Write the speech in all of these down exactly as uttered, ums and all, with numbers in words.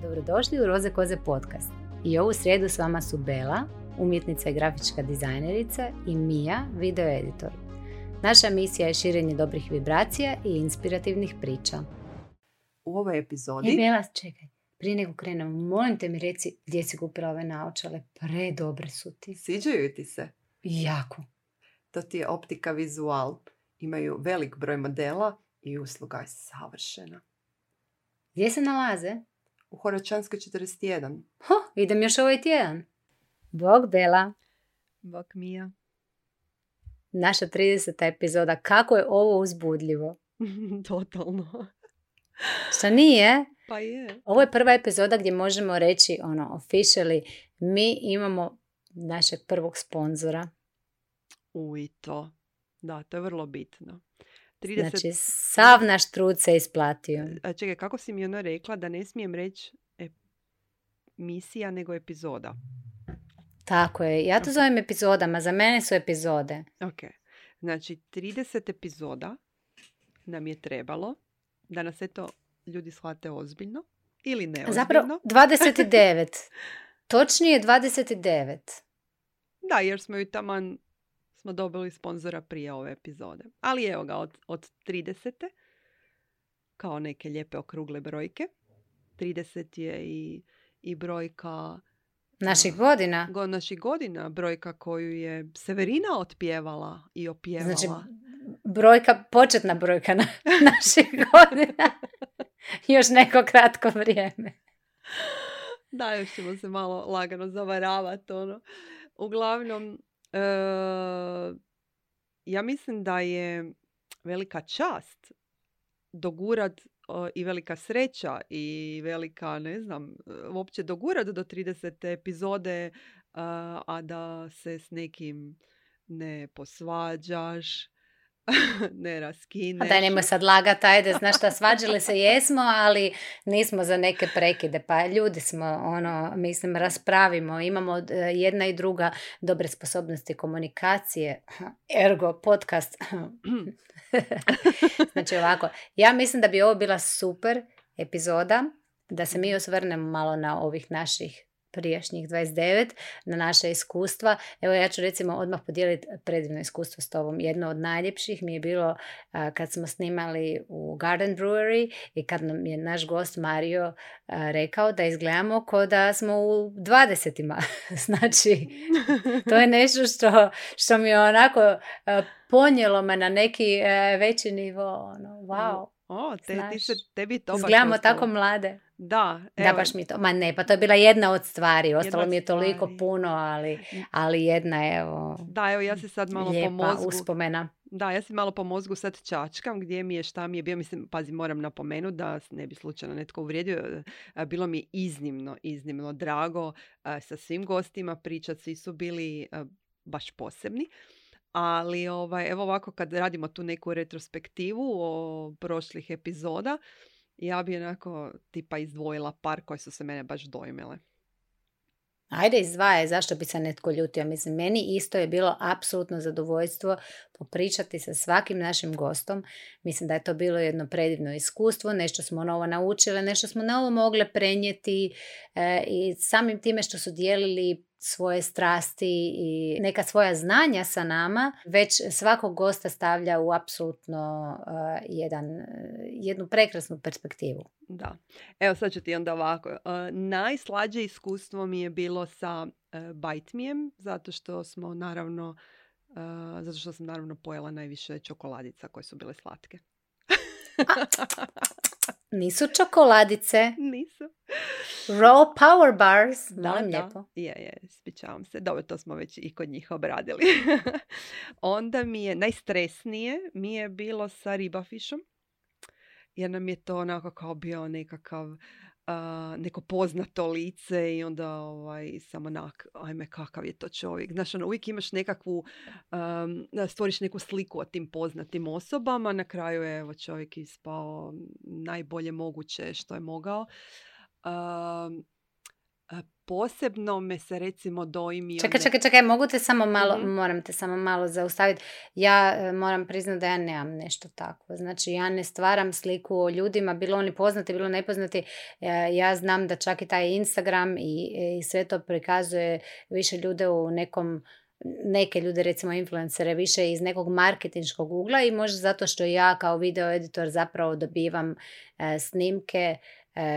Dobrodošli u Roze koze podcast. I ovu srijedu s vama su Bela, umjetnica i grafička dizajnerica, i Mija, video editor. Naša misija je širenje dobrih vibracija i inspirativnih priča. U ovoj epizodi... E, Bela, čekaj. Prije nego krenemo, molim te mi reci gdje si kupila ove naočale. Predobre su ti. Sviđaju ti se? Jako. To ti je optika vizual. Imaju velik broj modela i usluga je savršena. Gdje se nalaze? U Horočanskoj četrdeset jedan. Ho, idem još ovaj tjedan. Bog Bela. Bog Mija. Naša trideseta epizoda. Kako je ovo uzbudljivo? Totalno. Šta nije? Pa je. Ovo je prva epizoda gdje možemo reći, ono, officially, mi imamo našeg prvog sponzora. U i to. Da, to je vrlo bitno. trideset... Znači, sav naš trud se isplatio. A čekaj, kako si mi ono rekla da ne smijem reći emisija nego epizoda? Tako je. Ja to Okay. zovem epizodama. Za mene su epizode. Ok. Znači, trideset epizoda nam je trebalo da nas eto ljudi shvate ozbiljno ili neozbiljno. Zapravo, dvadeset devet. Točnije dvadeset devet. Da, jer smo ju taman smo dobili sponzora prije ove epizode. Ali evo ga, od, od tridesete kao neke lijepe okrugle brojke. trideset je i, i brojka Naših godina. Go, naših godina, brojka koju je Severina otpjevala i opjevala. Znači, brojka, početna brojka na naših godina. Još neko kratko vrijeme. Da, još ćemo se malo lagano zavaravati. Ono. Uglavnom, e, ja mislim da je velika čast dogurat o, i velika sreća i velika, ne znam, uopće dogurat do tridesete epizode, a, a da se s nekim ne posvađaš, ne raskineš. A daj, nemoj sad lagat, ajde, znaš šta, svađali se jesmo, ali nismo za neke prekide, pa ljudi smo, ono, mislim, raspravimo, imamo jedna i druga dobre sposobnosti komunikacije, ergo, podcast. Znači ovako, ja mislim da bi ovo bila super epizoda, da se mi osvrnemo malo na ovih naših prijašnjih dvadeset devet, na naše iskustva. Evo, ja ću recimo odmah podijeliti predivno iskustvo s tobom. Jedno od najljepših mi je bilo a, kad smo snimali u Garden Brewery i kad nam je naš gost Mario a, rekao da izgledamo kao da smo u dvadesetima. Znači, to je nešto što, što mi je onako a, ponijelo me na neki a, veći nivo. Ono, wow. O, te, ti se, tebi to baš izgledamo ostalo. Tako mlade. Da, evo. Da, baš mi to. Ma ne, pa to je bila jedna od stvari. Ostalo jedna mi je toliko stvari. puno, ali, ali jedna, evo, da, evo, ja se sad malo lijepa po mozgu... uspomena. Da, ja se malo po mozgu sad čačkam gdje mi je, šta mi je bio. Mislim, pazi, moram napomenuti da ne bi slučajno netko uvrijedio. Bilo mi je iznimno, iznimno drago sa svim gostima pričati. Svi su bili baš posebni. Ali ovaj, evo ovako kad radimo tu neku retrospektivu o prošlih epizoda, ja bi onako tipa izdvojila par koje su se mene baš dojmile. Ajde, izdvajaj, zašto bi se netko ljutio? Mislim, meni isto je bilo apsolutno zadovoljstvo popričati sa svakim našim gostom. Mislim da je to bilo jedno predivno iskustvo, nešto smo novo naučile, nešto smo novo mogle prenijeti e, i samim time što su dijelili svoje strasti i neka svoja znanja sa nama, već svakog gosta stavlja u apsolutno uh, jedan, uh, jednu prekrasnu perspektivu. Da. Evo sad ću ti onda ovako. Uh, najslađe iskustvo mi je bilo sa uh, Bajtmijem, zato što smo naravno, uh, zato što sam naravno pojela najviše čokoladica koje su bile slatke. Nisu čokoladice. Nisu. Raw power bars. Da, molim da. lijepo. Je, je, ispričavam se. Dobro, to smo već i kod njih obradili. Onda mi je, najstresnije mi je bilo sa ribafišom. Jer nam je to onako kao bio nekakav, uh, neko poznato lice i onda ovaj, sam onak, ajme kakav je to čovjek. Znaš, ono, uvijek imaš nekakvu, um, stvoriš neku sliku o tim poznatim osobama. Na kraju je evo, čovjek ispao najbolje moguće što je mogao. Um, posebno me se recimo dojmio... Čekaj, čekaj, čekaj, mogu te samo malo, mm-hmm. moram te samo malo zaustaviti. Ja e, moram priznati da ja nemam nešto takvo. Znači, ja ne stvaram sliku o ljudima, bilo oni poznati, bilo nepoznati. E, ja znam da čak i taj Instagram i, i sve to prikazuje više ljude u nekom, neke ljude, recimo influencere, više iz nekog marketinškog ugla i možda zato što ja kao video editor zapravo dobivam e, snimke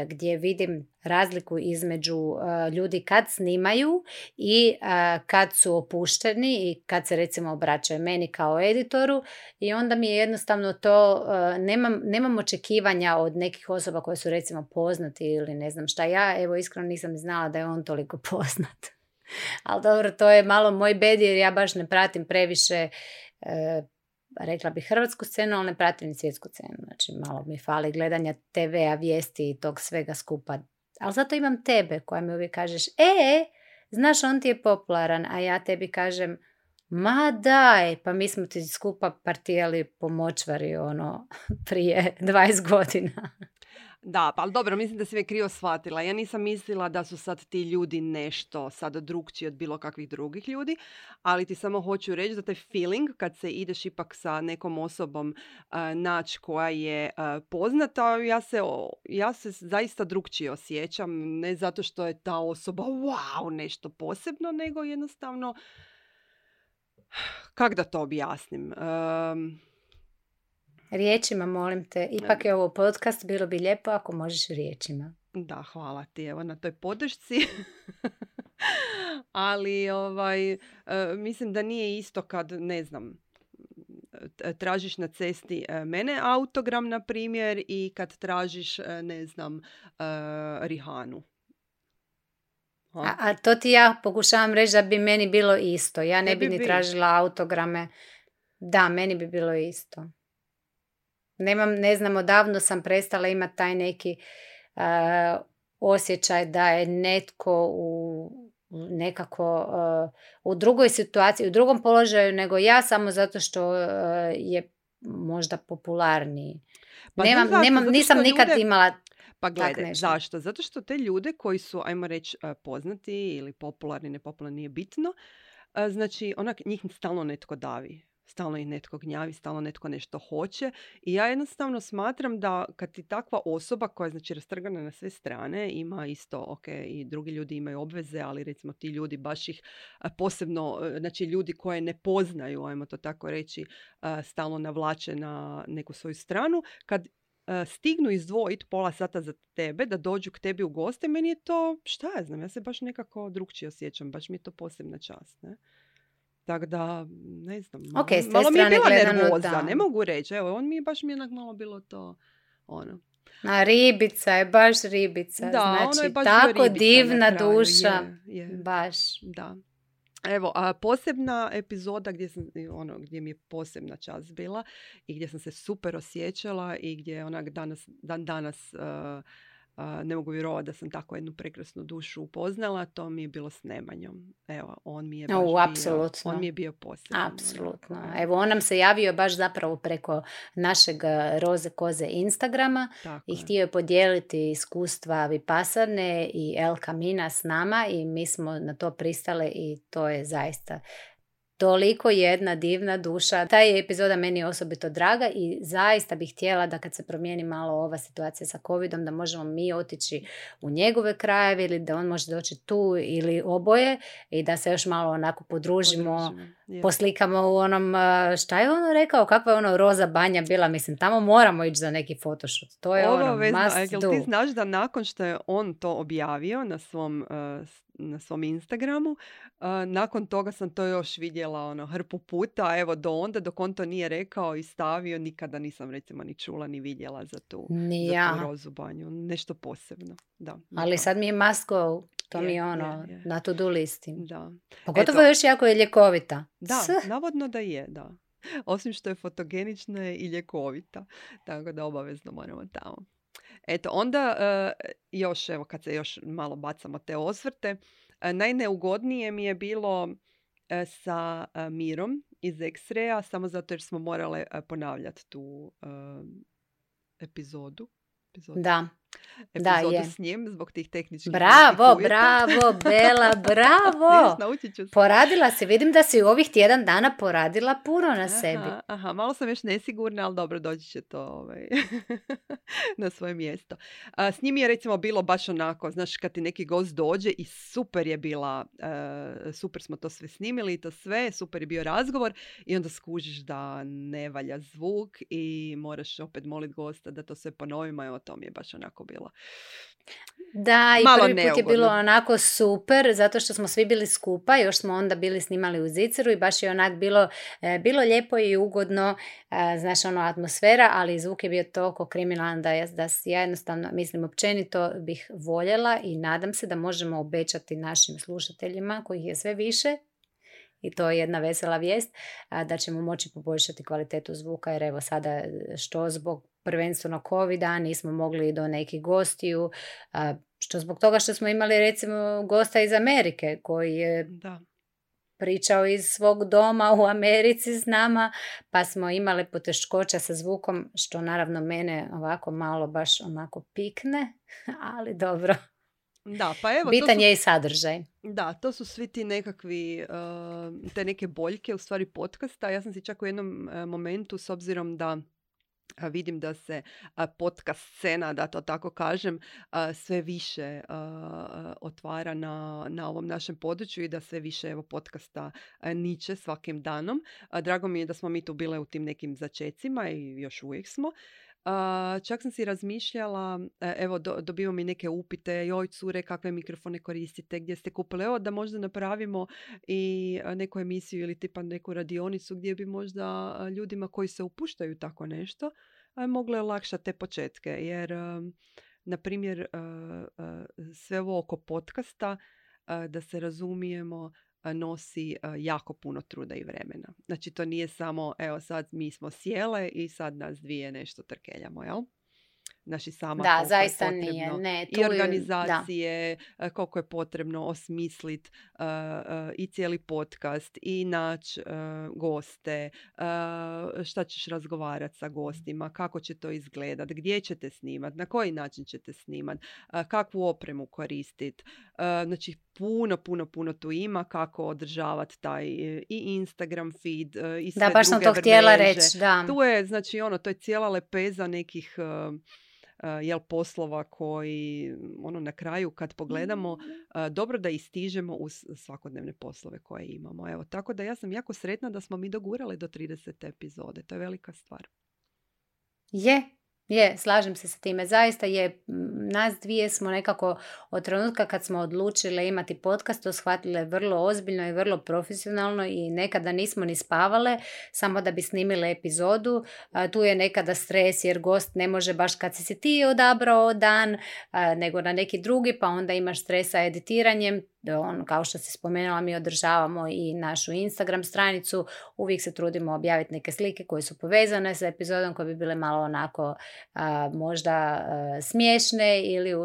gdje vidim razliku između uh, ljudi kad snimaju i uh, kad su opušteni i kad se recimo obraćaju meni kao editoru i onda mi je jednostavno to, uh, nemam, nemam očekivanja od nekih osoba koje su recimo poznati ili ne znam šta. Ja evo iskreno nisam znala da je on toliko poznat. Ali dobro, to je malo moj bed jer ja baš ne pratim previše uh, rekla bih hrvatsku scenu, ali ne pratim ni svjetsku scenu. Znači, malo mi fali gledanja te vea, vijesti i tog svega skupa. Ali zato imam tebe koja mi uvijek kažeš, e, znaš, on ti je popularan, a ja tebi kažem, ma daj, pa mi smo ti skupa partijali po močvari, ono, prije dvadeset godina. Da, pa ali dobro, mislim da si me krivo shvatila. Ja nisam mislila da su sad ti ljudi nešto sad drugčiji od bilo kakvih drugih ljudi, ali ti samo hoću reći da taj feeling kad se ideš ipak sa nekom osobom uh, naći koja je uh, poznata, ja se, ja se zaista drugčije osjećam. Ne zato što je ta osoba wow, nešto posebno, nego jednostavno, kak da to objasnim? Um, Riječima, molim te. Ipak je ovo podcast, bilo bi lijepo ako možeš riječima. Da, hvala ti evo na toj podršci. Ali ovaj, uh, mislim da nije isto kad, ne znam, tražiš na cesti uh, mene autogram, na primjer, i kad tražiš, uh, ne znam, uh, Rihanu. A, a to ti ja pokušavam reći da bi meni bilo isto. Ja ne, ne bi ni bi. tražila autograme. Da, meni bi bilo isto. Nemam, ne znam, odavno sam prestala imati taj neki uh, osjećaj da je netko u nekako uh, u drugoj situaciji, u drugom položaju nego ja samo zato što uh, je možda popularniji. Pa Nemam, zašto, nemam, nisam ljude... nikad imala Pa gledaj, zašto? Zato što te ljude koji su, ajmo reći, poznati ili popularni, nepopularni, nije bitno, znači onak njih stalno netko davi. Stalno ih netko gnjavi, stalno netko nešto hoće i ja jednostavno smatram da kad ti takva osoba koja je znači rastrgana na sve strane, ima isto, ok, i drugi ljudi imaju obveze, ali recimo ti ljudi baš ih posebno, znači ljudi koje ne poznaju, ajmo to tako reći, stalno navlače na neku svoju stranu, kad stignu izdvojiti pola sata za tebe, da dođu k tebi u goste, meni je to, šta ja znam, ja se baš nekako drugčije osjećam, baš mi je to posebna čast, ne? Tako da, ne znam, okay, malo mi je bila gledano, nervoza, da. Ne mogu reći, evo, on mi je baš mi je malo bilo to, ono. A ribica je, baš ribica, da, znači ono je baš tako ribica divna duša, je, je. baš. Da. Evo, a posebna epizoda gdje, sam, ono, gdje mi je posebna čast bila i gdje sam se super osjećala i gdje onak danas, dan danas uh, Uh, ne mogu vjerovati da sam tako jednu prekrasnu dušu upoznala, to mi je bilo s Nemanjom. Evo, on mi je baš o, bio, on mi je bio poseban. Apsolutno. Evo, on nam se javio baš zapravo preko našeg Roze Koze Instagrama tako i je. Htio je podijeliti iskustva Vipassane i El Camina s nama i mi smo na to pristale i to je zaista toliko jedna divna duša. Ta je epizoda meni osobito draga i zaista bih htjela da kad se promijeni malo ova situacija sa covidom, da možemo mi otići u njegove krajeve ili da on može doći tu ili oboje i da se još malo onako podružimo, podružimo. Poslikamo u onom, šta je ono rekao, kakva je ono roza banja bila, mislim, tamo moramo ići za neki photoshoot. To je Ovo ono vezno, must a, do. Ti znaš da nakon što je on to objavio na svom uh, na svom Instagramu. Uh, nakon toga sam to još vidjela ono, hrpu puta, evo do onda dok on to nije rekao i stavio, nikada nisam recimo ni čula ni vidjela za tu, ja. za tu rozu banju. Nešto posebno. Da, ali sad mi je must go. To je, mi je ono, je, je. na to-do listi. Da. Pogotovo Eto, još jako je ljekovita. Da, S. navodno da je, da. Osim što je fotogenična je i ljekovita. Tako da obavezno moramo tamo. Eto, onda uh, još, evo, kad se još malo bacamo te osvrte, uh, najneugodnije mi je bilo uh, sa uh, Mirom iz X-raya, samo zato jer smo morale uh, ponavljati tu uh, epizodu. epizodu. Da. Da, epizodu je. s njim zbog tih tehničkih Bravo, uvjeta. bravo, Bela, bravo. Vidiš, naučit ću se. Poradila si, vidim da si u ovih tjedan dana poradila puno na sebi. Aha, aha, malo sam još nesigurna, ali dobro, doći će to ovaj, na svoje mjesto. A, s njim je recimo bilo baš onako, znaš, kad ti neki gost dođe i super je bila, uh, super smo to sve snimili i to sve, super je bio razgovor i onda skužiš da ne valja zvuk i moraš opet moliti gosta da to sve ponovimo, evo to mi je baš onako bilo. Da, i Malo prvi put je neugodno. bilo onako super, zato što smo svi bili skupa, još smo onda bili snimali u Ziceru i baš je onak bilo, e, bilo lijepo i ugodno, e, znaš, ono, atmosfera, ali zvuk je bio toliko kriminalan da, ja- da si ja jednostavno, mislim, općenito bih voljela i nadam se da možemo obećati našim slušateljima, kojih je sve više, i to je jedna vesela vijest, a, da ćemo moći poboljšati kvalitetu zvuka, jer evo sada što zbog prvenstveno covida nismo mogli do nekih gostiju, a, što zbog toga što smo imali recimo gosta iz Amerike koji je Da. pričao iz svog doma u Americi s nama, pa smo imali poteškoća sa zvukom, što naravno mene ovako malo baš onako pikne, ali dobro. Da, pa evo, to Bitan su je i sadržaj. Da, to su svi ti nekakvi, uh, te neke boljke u stvari podcasta. Ja sam si čak u jednom uh, momentu, s obzirom da uh, vidim da se uh, podcast scena, da to tako kažem, uh, sve više uh, uh, otvara na, na ovom našem području i da sve više evo podcasta uh, niče svakim danom. Uh, drago mi je da smo mi tu bile u tim nekim začecima i još uvijek smo. Uh, čak sam si razmišljala, e, evo do, dobivamo i neke upite, joj cure, kakve mikrofone koristite, gdje ste kupili, evo da možda napravimo i e, neku emisiju ili tipa neku radionicu gdje bi možda e, ljudima koji se upuštaju u tako nešto e, mogle olakšati te početke, jer e, na primjer e, e, sve ovo oko podcasta, e, da se razumijemo, e, nosi e, jako puno truda i vremena. Znači to nije samo, evo sad mi smo sjele i sad nas dvije nešto trkeljamo, jel? Znači sama Da, koliko je zaista potrebno nije. Ne, tu i je- organizacije, e, koliko je potrebno osmislit e, e, i cijeli podcast i naći goste, e, šta ćeš razgovarati sa gostima, kako će to izgledat, gdje ćete snimat, na koji način ćete snimat, e, kakvu opremu koristit. E, znači puno, puno, puno tu ima kako održavati taj e, i Instagram feed e, i sve Da, baš sam druge to htjela mreže. reći, da. Tu je, znači, ono, to je cijela lepeza nekih uh, uh, jel, poslova koji, ono, na kraju kad pogledamo, uh, dobro da istižemo uz svakodnevne poslove koje imamo. Evo, tako da ja sam jako sretna da smo mi dogurali do tridesete epizode. To je velika stvar. Je, je, slažem se sa time. Zaista je, m, nas dvije smo nekako od trenutka kad smo odlučile imati podcast to shvatile vrlo ozbiljno i vrlo profesionalno i nekada nismo ni spavale samo da bi snimile epizodu. A, tu je nekada stres jer gost ne može baš kad si si ti odabrao dan, a, nego na neki drugi, pa onda imaš stres sa editiranjem. On, kao što si spomenula, mi održavamo i našu Instagram stranicu, uvijek se trudimo objaviti neke slike koje su povezane sa epizodom, koje bi bile malo onako a, možda a, smiješne ili u,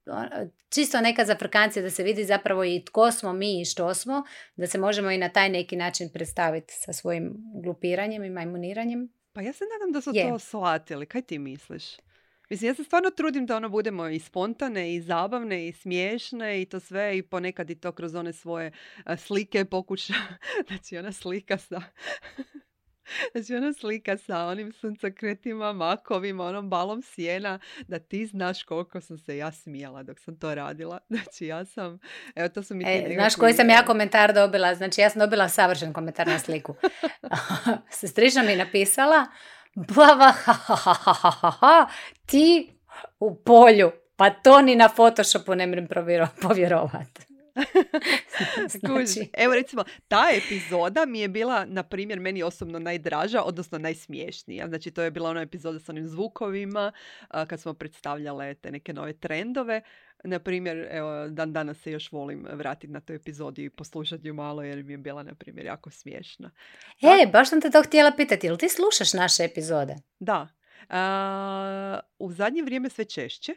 a, čisto neka zafrkancija da se vidi zapravo i tko smo mi i što smo, da se možemo i na taj neki način predstaviti sa svojim glupiranjem i majmuniranjem. Pa ja se nadam da su Je. to shvatili. Kaj ti misliš? Mislim, ja se stvarno trudim da ono budemo i spontane, i zabavne, i smiješne, i to sve, i ponekad i to kroz one svoje a, slike pokuša. Znači, ona slika sa... Znači, ona slika sa onim suncokretima, makovima, onom balom sjena, da ti znaš koliko sam se ja smijala dok sam to radila. Znači, ja sam... Evo, to su mi ti E, nekakvi, znaš koji sam ja e, komentar dobila? Znači, ja sam dobila savršen komentar na sliku. Sestrična mi je napisala, blava, ha, ha, ha, ha, ha, ha, ha, ti u polju, pa to ni na Photoshopu ne mrem povjerovati. Kužiš, Znači, evo recimo, ta epizoda mi je bila, na primjer, meni osobno najdraža, odnosno najsmiješnija. Znači, to je bila ona epizoda sa onim zvukovima, a, kad smo predstavljale te neke nove trendove. Na primjer, evo, dan danas se još volim vratiti na tu epizodu i poslušati ju malo, jer mi je bila, na primjer, jako smiješna. e, baš sam te to htjela pitati, jel ti slušaš naše epizode? Da, a, u zadnje vrijeme sve češće.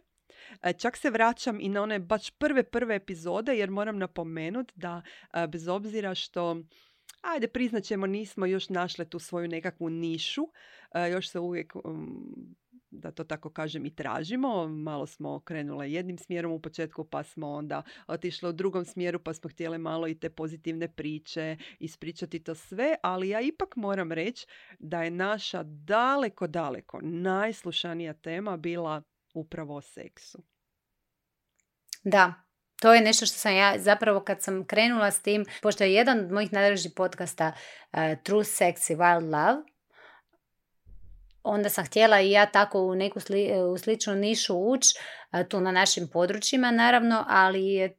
E, Čak se vraćam i na one baš prve, prve epizode, jer moram napomenuti da a, bez obzira što, ajde priznat ćemo, nismo još našle tu svoju nekakvu nišu, a, još se uvijek um, da to tako kažem, i tražimo. Malo smo krenule jednim smjerom u početku, pa smo onda otišli u drugom smjeru, pa smo htjeli malo i te pozitivne priče, ispričati to sve, ali ja ipak moram reći da je naša daleko, daleko najslušanija tema bila upravo o seksu. Da, to je nešto što sam ja zapravo kad sam krenula s tim, pošto je jedan od mojih najdražih podcasta uh, True Sex i Wild Love, onda sam htjela i ja tako u neku sli, u sličnu nišu ući, uh, tu na našim područjima naravno, ali je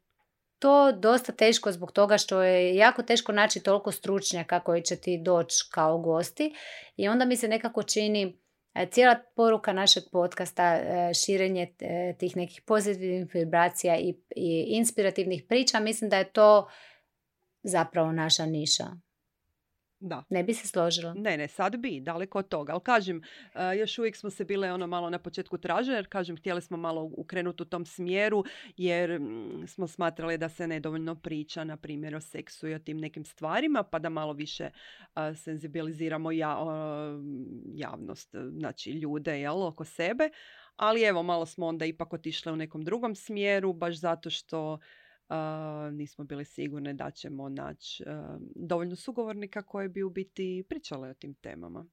to dosta teško zbog toga što je jako teško naći toliko stručnjaka koji će ti doći kao gosti i onda mi se nekako čini cijela poruka našeg podcasta, širenje tih nekih pozitivnih vibracija i, i inspirativnih priča, mislim da je to zapravo naša niša. Da. Ne bi se složila? Ne, ne, sad bi, daleko od toga. Ali kažem, uh, još uvijek smo se bile ono malo na početku traže, jer kažem, htjeli smo malo ukrenuti u tom smjeru, jer mm, smo smatrali da se nedovoljno priča, na primjer, o seksu i o tim nekim stvarima, pa da malo više uh, senzibiliziramo ja, uh, javnost, znači ljude, jel, oko sebe. Ali evo, malo smo onda ipak otišle u nekom drugom smjeru, baš zato što Uh, nismo bili sigurni da ćemo naći uh, dovoljno sugovornika koji bi u biti pričali o tim temama.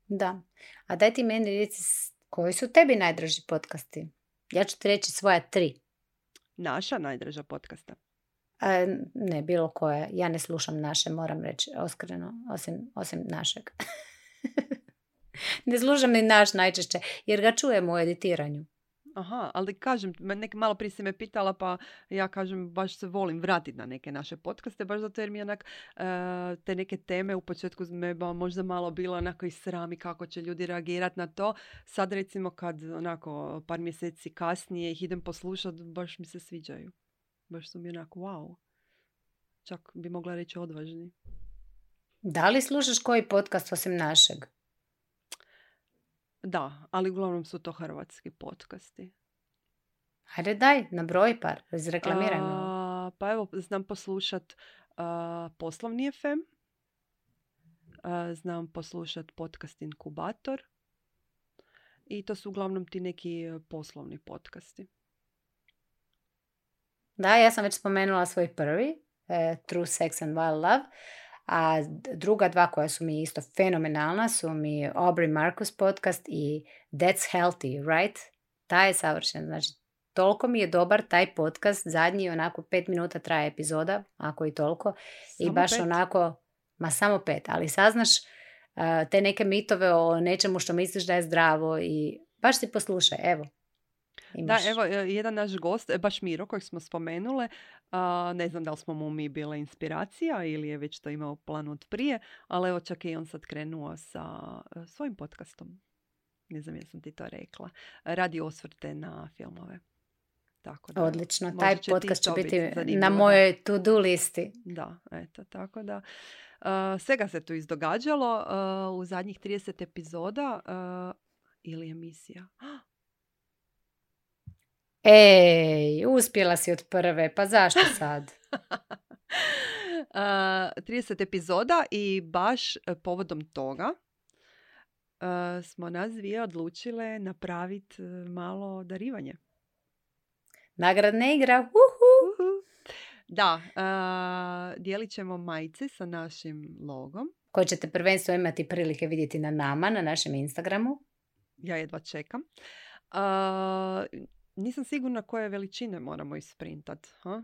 Da. A daj ti meni reci, koji su tebi najdraži podcasti? Ja ću ti reći svoja tri. Naša najdraža podcasta? A, ne, bilo koja. Ja ne slušam naše, moram reći, oskreno, osim, osim našeg. Ne slušam ni naš najčešće, jer ga čujem u editiranju. Aha, ali kažem, nek, malo prije si me pitala, pa ja kažem, baš se volim vratiti na neke naše podcaste, baš zato jer mi onak uh, te neke teme u početku me možda malo bilo onako i srami kako će ljudi reagirati na to. Sad recimo kad onako par mjeseci kasnije ih idem poslušati, baš mi se sviđaju. Baš su mi onako wow. Čak bi mogla reći odvažni. Da li slušaš koji podcast osim našeg? Da, ali uglavnom su to hrvatski podcasti. Hajde daj, nabroj par, izreklamiraj me. Pa evo, znam poslušat uh, Poslovni ef em, uh, znam poslušat podcast Inkubator i to su uglavnom ti neki poslovni podcasti. Da, ja sam već spomenula svoj prvi, uh, True Sex and Wild Love. A druga dva koja su mi isto fenomenalna su mi Aubrey Marcus podcast i That's Healthy, right? Taj je savršen. Znači, toliko mi je dobar taj podcast. Zadnji onako pet minuta traje epizoda, ako i toliko. Samo I baš pet. Onako, ma samo pet, ali saznaš uh, te neke mitove o nečemu što misliš da je zdravo i baš ti poslušaj, evo. Imaš. Da, evo, jedan naš gost, baš Miro, kojeg smo spomenule, uh, ne znam da li smo mu mi bila inspiracija ili je već to imao plan od prije, ali evo čak i on sad krenuo sa uh, svojim podcastom. Ne znam jesam ti to rekla. Radi osvrte na filmove. Tako da, odlično, taj podcast će biti na mojoj to-do listi. Da, eto, tako da. Uh, svega se tu izdogađalo uh, u zadnjih trideset epizoda uh, ili emisija. Ej, uspjela si od prve, pa zašto sad? uh, trideset epizoda i baš povodom toga uh, smo nas dvije odlučile napraviti malo darivanje. Nagradna igra, uhu! Uhu. Da, uh, dijelit ćemo majice sa našim logom. Koje ćete prvenstveno imati prilike vidjeti na nama, na našem Instagramu. Ja jedva čekam. Uh, Nisam sigurna koje veličine moramo isprintati. Ha?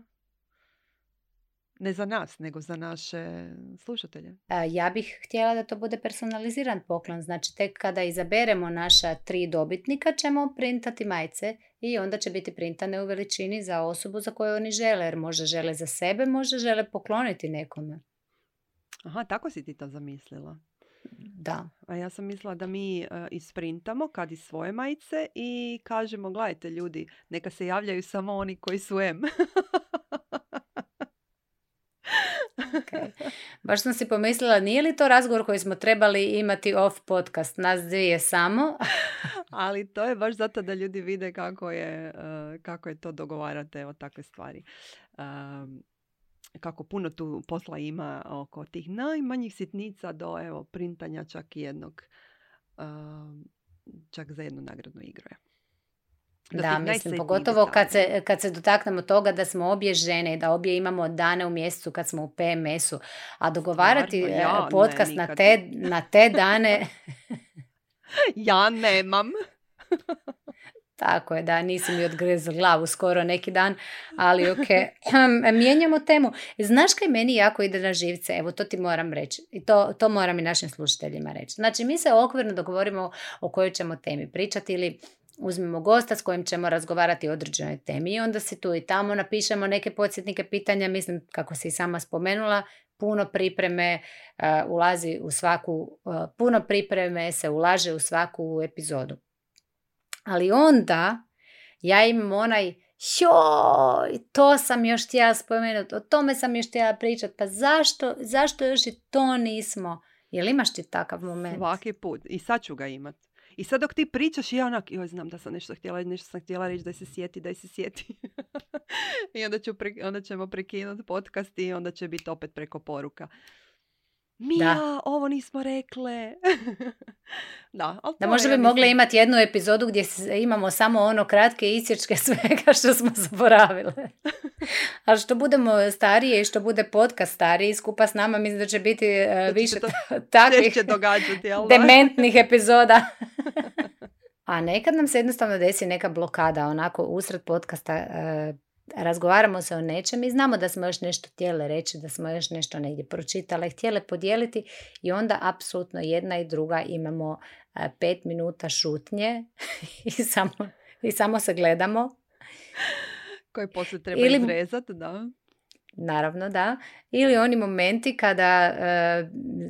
Ne za nas, nego za naše slušatelje. Ja bih htjela da to bude personaliziran poklon. Znači, tek kada izaberemo naša tri dobitnika ćemo printati majice i onda će biti printane u veličini za osobu za koju oni žele. Jer možda žele za sebe, možda žele pokloniti nekome. Aha, tako si ti to zamislila. Da. A ja sam mislila da mi uh, isprintamo kad i svoje majice i kažemo, gledajte ljudi, neka se javljaju samo oni koji su M. Okay. Baš sam si pomislila, nije li to razgovor koji smo trebali imati off podcast, nas dvije samo? Ali to je baš zato da ljudi vide kako je, uh, kako je to dogovarate o takve stvari. Um, kako puno tu posla ima oko tih najmanjih sitnica do evo printanja čak i jednog čak za jednu nagradnu igru. Da, da mislim, pogotovo kad se, kad se dotaknemo toga da smo obje žene i da obje imamo dane u mjesecu kad smo u P M S-u, a dogovarati ja, podcast ne, na, te, na te dane... ja nemam. Tako je, da, nisi mi odgrezla glavu skoro neki dan, ali ok. Mijenjamo temu. Znaš kaj meni jako ide na živce? Evo, to ti moram reći. I to, to moram i našim slušateljima reći. Znači, mi se okvirno dogovorimo o kojoj ćemo temi pričati ili uzmemo gosta s kojim ćemo razgovarati o određenoj temi i onda si tu i tamo napišemo neke podsjetnike pitanja. Mislim, kako si i sama spomenula, puno pripreme uh, ulazi u svaku, uh, puno pripreme se ulaže u svaku epizodu. Ali onda ja imam onaj, joj, to sam još htjela spomenuti, o tome sam još htjela pričati, pa zašto, zašto još i to nismo? Jel imaš ti takav moment? Svaki put. I sad ću ga imat. I sad dok ti pričaš, ja onak, joj, znam da sam nešto htjela, nešto sam htjela reći, daj se sjeti, daj se sjeti. I onda, ću pre, onda ćemo prekinuti podcast i onda će biti opet preko poruka. Mija, da. Ovo nismo rekle. da, da možda bi ja mogli imati jednu epizodu gdje imamo samo ono kratke isječke svega što smo zaboravile. Ali što budemo starije i što bude podcast stariji skupa s nama, mislim da će biti uh, više takvih dementnih epizoda. A nekad nam se jednostavno desi neka blokada, onako usred podcasta uh, razgovaramo se o nečem i znamo da smo još nešto htjele reći, da smo još nešto negdje pročitale, htjele podijeliti i onda apsolutno jedna i druga imamo uh, pet minuta šutnje i, samo, i samo se gledamo. Koji poslije treba Ili, izrezati, da. Naravno, da. Ili oni momenti kada uh,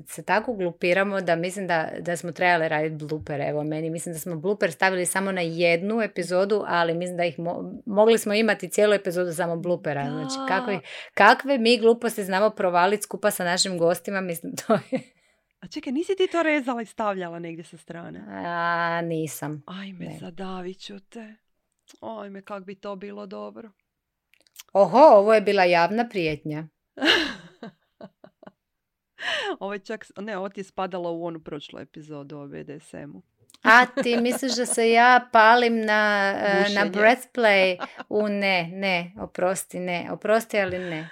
se tako glupiramo da mislim da, da smo trebali raditi blooper. Evo, meni mislim da smo blooper stavili samo na jednu epizodu, ali mislim da ih mo- mogli smo imati cijelu epizodu samo bloopera. Da. Znači, kakve, kakve mi gluposti znamo provaliti skupa sa našim gostima, mislim, to je... A čekaj, nisi ti to rezala i stavljala negdje sa strane? A, nisam. Ajme, ne. Zadavit ću te. Ajme, kak bi to bilo dobro. Oho, ovo je bila javna prijetnja. Ovo je čak, ne, ovo ti je spadalo u onu prošlu epizodu o B D S M-u. A ti misliš da se ja palim na, uh, na breastplay? U ne, ne, oprosti, ne, oprosti, ali ne.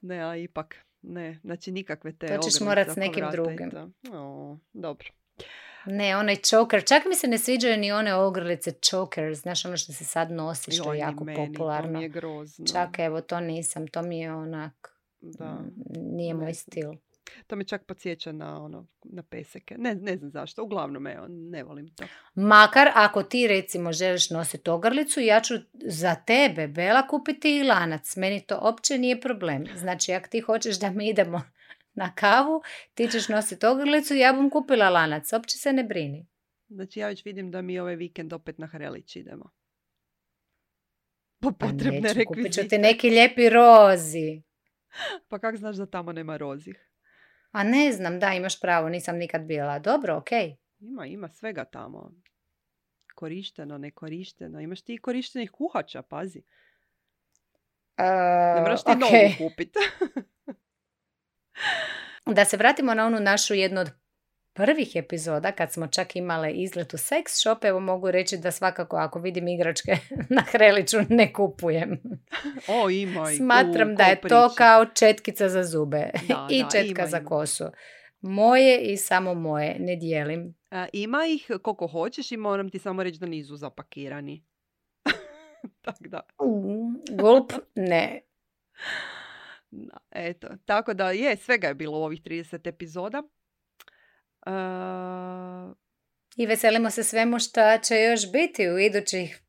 Ne, a ipak, ne, znači nikakve te ogrlice. To ćeš morat s nekim drugim. O, dobro. Ne, onaj choker. Čak mi se ne sviđaju ni one ogrlice chokers. Znaš, ono što se sad nosi, što Joj, je jako meni, popularno. To mi je grozno. Čak, evo, to nisam. To mi je onak... Da. Nije moj stil. To me čak podsjeća na, ono, na peseke. Ne, ne znam zašto. Uglavnom, evo, ne volim to. Makar, ako ti, recimo, želiš nositi ogrlicu, ja ću za tebe, Bela, kupiti i lanac. Meni to uopće nije problem. Znači, ako ti hoćeš da mi idemo na kavu, ti ćeš nositi ogrlicu, ja bom kupila lanac, uopće se ne brini. Znači ja već vidim da mi ovaj vikend opet na Hrelić idemo. Po potrebne rekvizite. Kupit ću ti neki lijepi rozi. Pa kak znaš da tamo nema rozih? A ne znam, da, imaš pravo, nisam nikad bila. Dobro, okej. Okay. Ima, ima svega tamo. Korišteno, nekorišteno. Imaš ti korištenih kuhača, pazi. Uh, ne moraš ti okay. novu kupiti. Da se vratimo na onu našu jednu od prvih epizoda kad smo čak imale izlet u sex shop, evo mogu reći da svakako ako vidim igračke na Hreliću ne kupujem. O, ima i Smatram da je to kao četkica za zube da, i da, četka ima, za ima. Kosu. Moje i samo moje, ne dijelim. A, ima ih koliko hoćeš i moram ti samo reći da nisu zapakirani. Tak da. Uh, gulp, ne. Da, eto, tako da je, svega je bilo u ovih trideset epizoda. Uh... I veselimo se svemu što će još biti u idućih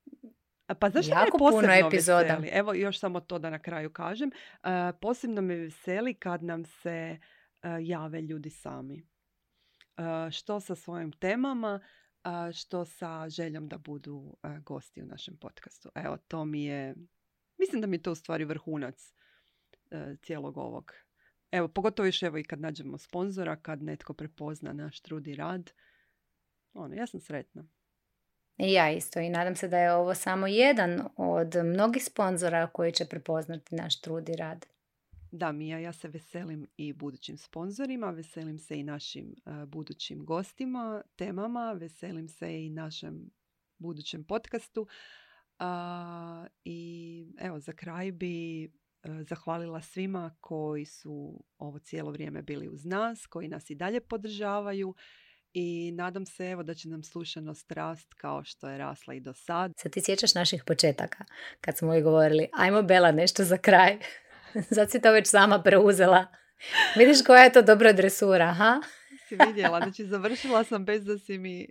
pa zašto jako me posebno puno epizoda. Veseli? Evo još samo to da na kraju kažem. Uh, posebno me veseli kad nam se uh, jave ljudi sami. Uh, što sa svojim temama, uh, što sa željom da budu uh, gosti u našem podcastu. Evo, to mi je, mislim da mi je to u stvari vrhunac cijelog ovog. Evo, pogotovo još evo i kad nađemo sponzora, kad netko prepozna naš trud i rad. Ono, ja sam sretna. I ja isto i nadam se da je ovo samo jedan od mnogih sponzora koji će prepoznati naš trud i rad. Da, Mija, ja se veselim i budućim sponzorima, veselim se i našim uh, budućim gostima, temama, veselim se i našem budućem podcastu. Uh, I evo, za kraj bi uh, zahvalila svima koji su ovo cijelo vrijeme bili uz nas, koji nas i dalje podržavaju. I nadam se evo da će nam slušanost rast kao što je rasla i do sad. Sad ti sjećaš naših početaka, kad smo joj govorili, ajmo Bela nešto za kraj. Sad si to već sama preuzela. Vidiš koja je to dobra dresura, ha? Si vidjela, znači završila sam bez da si mi...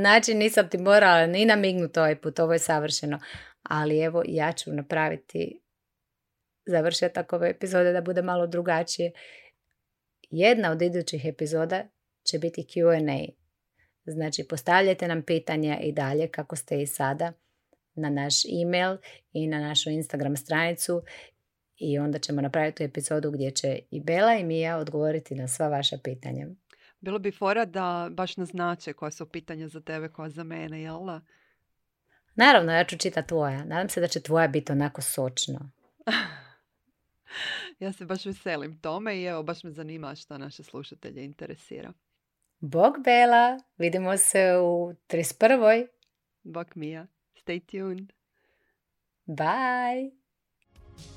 Znači nisam ti morala ni namignuti ovaj put, ovo je savršeno. Ali evo ja ću napraviti završetak ove epizode da bude malo drugačije. Jedna od idućih epizoda će biti Q and A. Znači postavljajte nam pitanja i dalje kako ste i sada na naš email i na našu Instagram stranicu i onda ćemo napraviti tu epizodu gdje će i Bela i Mija odgovoriti na sva vaša pitanja. Bilo bi fora da baš naznače koja su pitanja za tebe, koja za mene, jel da? Naravno, ja ću čitati tvoja. Nadam se da će tvoja biti onako sočno. Ja se baš veselim tome i evo baš me zanima šta naše slušatelje interesira. Bog Bela, vidimo se u trideset prvoj. Bog Mija, stay tuned. Bye.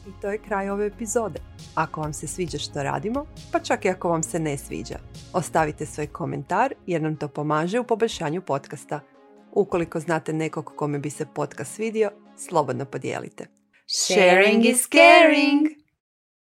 I to je kraj ove epizode. Ako vam se sviđa što radimo, pa čak i ako vam se ne sviđa, ostavite svoj komentar jer nam to pomaže u poboljšanju podcasta. Ukoliko znate nekog kome bi se podcast svidio, slobodno podijelite. Sharing is caring!